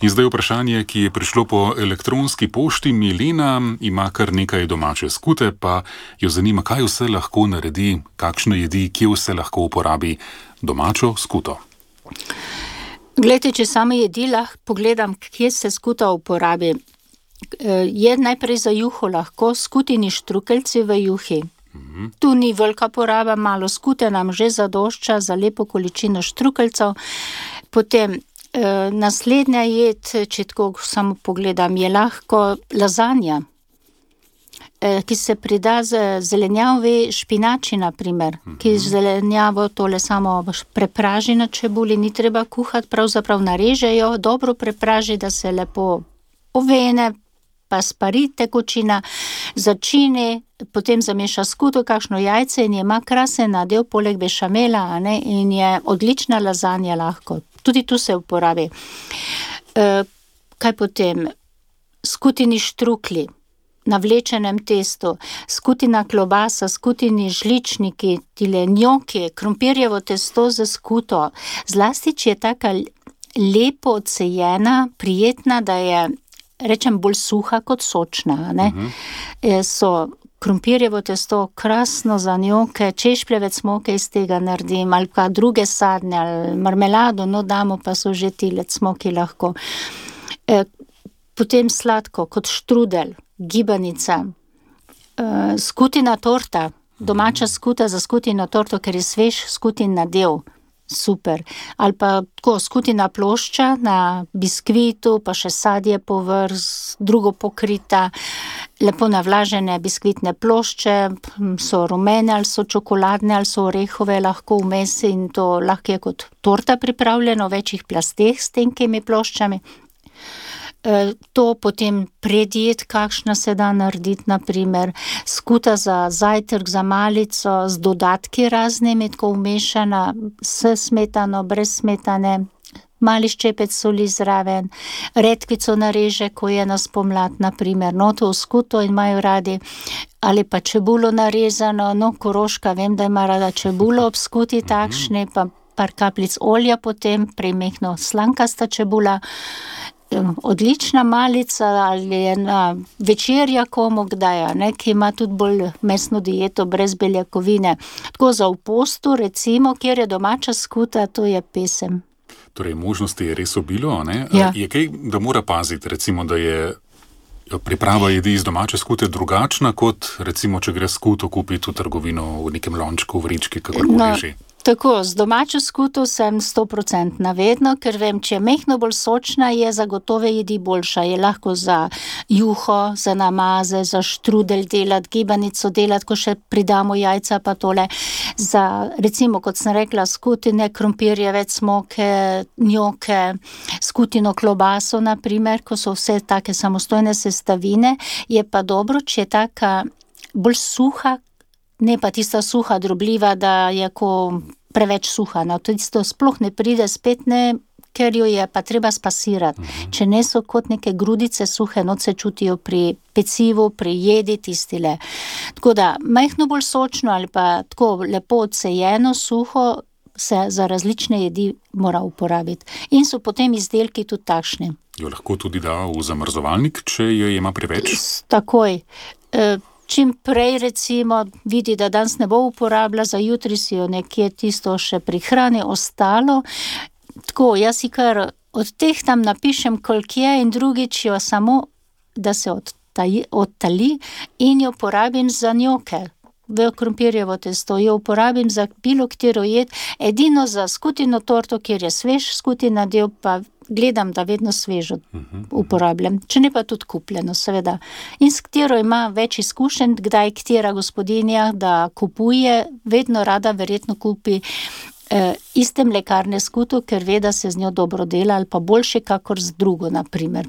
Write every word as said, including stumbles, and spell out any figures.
In zdaj vprašanje, ki je prišlo po elektronski pošti. Milena ima kar nekaj domače skute, pa jo zanima, kaj vse lahko naredi, kakšne jedi, kje vse lahko uporabi domačo skuto. Glejte, če same jedi lahko pogledam, kje se skuta uporabi. Je najprej za juho lahko skutini štrukeljci v juhi. Mm-hmm. Tu ni velika poraba, malo skute nam že zadošča za lepo količino štrukeljcev. Potem eh, naslednja jed, če tako samo pogledam, je lahko lazanja, eh, ki se prida z zelenjavi špinači, na primer, mm-hmm. ki zelenjavo tole samo prepraži na čebuli, ni treba kuhati, pravzaprav narežejo, dobro prepraži, da se lepo ovene, pa spari tekočina, začini, potem zameša skuto, kakšno jajce in ima krasen nadev poleg bešamela, a ne, in je odlična lazanja lahko. Tudi tu se uporabi. E, kaj potem? Skutini štrukli na vlečenem testu, skutina klobasa, skutini žličniki, tile njoki, krompirjevo testo za skuto. Zlasti, če je taka lepo odsejena, prijetna, da je, rečem, bolj suha kot sočna, ne? Uh-huh. So krompirjevo testo krasno za njoke, češpljevec moke iz tega naredim, ali pa druge sadne, ali marmelado, no damo pa so že tile cmoki lahko. E, potem sladko, kot štrudel, gibanica, e, skutina torta, domača skuta za skutino torto, ker je svež skutin nadev. Super. Ali pa tako skutina plošča na biskvitu, pa še sadje povrh, drugo pokrita, lepo navlažene biskvitne plošče, so rumene ali so čokoladne ali so orehove, lahko vmes, in to lahko je kot torta pripravljeno v večjih plasteh s tenkimi ploščami. To potem predjed, kakšna se da narediti, na primer, skuta za zajtrk, za malico, z dodatki raznimi, tako vmešana, s smetano, brez smetane, mali ščepec soli zraven, redkvico nareže, ko je na spomlad, na primer, no to v skuto in imajo radi, ali pa čebulo narezano, no Koroška, vem, da ima rada čebulo ob skuti takšne, pa par kapljic olja potem, premehno slankasta čebula, odlična malica ali ena večerja komu kdaj, ne, ki ima tudi bolj mesno dieto brez beljakovine. Tako za v postu, recimo, kjer je domača skuta, to je pesem. Torej, možnosti je res obilo, ne? Ja. Je kaj, da mora paziti, recimo, da je priprava jedi iz domače skute drugačna, kot recimo, če gre skuto kupiti v trgovino v nekem lončku, v vrički, kakorkoli no. že. Tako, z domačo skuto sem sto procentov vedno, ker vem, če je mehno bolj sočna, je za gotove jedi boljša. Je lahko za juho, za namaze, za štrudel delati, gibanico delati, ko še pridamo jajca pa tole. Za, recimo, kot sem rekla, skutine, krompirjevec, moke, njoke, skutino klobaso, na primer, ko so vse take samostojne sestavine, je pa dobro, če je taka bolj suha, ne pa tista suha, drobljiva, da je ko preveč suha. No, tisto sploh ne pride spet, ne, ker jo je pa treba spasirati. Mm-hmm. Če ne so kot neke grudice suhe, no se čutijo pri pecivu, pri jedi tistile. Tako da, majhno bolj sočno ali pa tako lepo odsejeno, suho, se za različne jedi mora uporabiti. In so potem izdelki tudi takšni. Jo lahko tudi da v zamrzovalnik, če jo ima preveč? Takoj. E, Čim prej, recimo, vidi, da danes ne bo uporabila, za jutri si jo nekje tisto še prihrani ostalo. Tako, jaz si kar od teh tam napišem, koliko je, in drugič jo samo, da se odtaji, odtali in jo porabim za njoke. V krompirjevo testo jo uporabim za bilo katero jed, edino za skutino torto, kjer je svež skutin nadev, pa gledam, da vedno svežo uporabljam. Če ne pa tudi kupljeno, seveda. In s katero ima več izkušenj, kdaj katera gospodinja, da kupuje, vedno rada verjetno kupi eh, iste mlekarne skuto, ker ve, da se z njo dobro dela, ali pa boljše kakor z drugo, na primer.